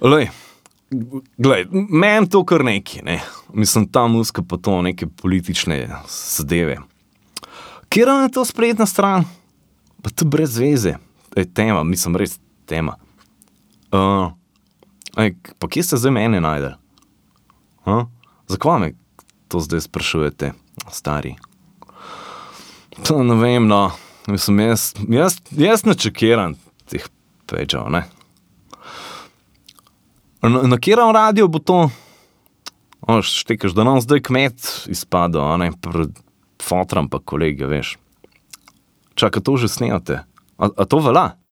Glej, meni to kar neki, ne. Mislim, ta muzika pa to neke politične zadeve. Katera je to spletna stran? Pa to brez veze. Tema, mislim, res tema. Pa kje ste zdaj mene najdel? Zakaj me to zdaj sprašujete, stari? To ne vem, no. Mislim, jaz ne čekiram teh pečev, ne. Na katerem radiju bo to? Štekaš, da nam zdaj kmet izpadel, a ne, pred fotram pa kolegi, veš. Čakaj, to že snemate? A to velja?